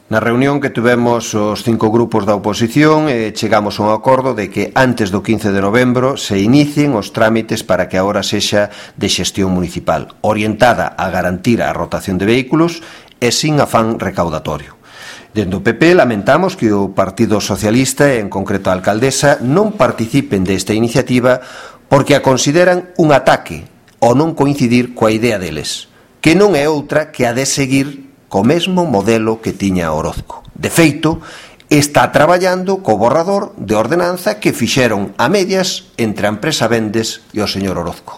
Na reunión que tivemos os 5 grupos da oposición chegamos a un acordo de que antes do 15 de novembro se inicien os trámites para que a hora sexa de xestión municipal, orientada a garantir a rotación de vehículos e sin afán recaudatorio. Dende o PP lamentamos que o Partido Socialista e en concreto a alcaldesa non participen desta iniciativa porque a consideran un ataque ao non coincidir coa idea deles, que non é outra que a de seguir co mesmo modelo que tiña Orozco. De feito, está traballando co borrador de ordenanza que fixeron a medias entre a empresa Vendes e o señor Orozco.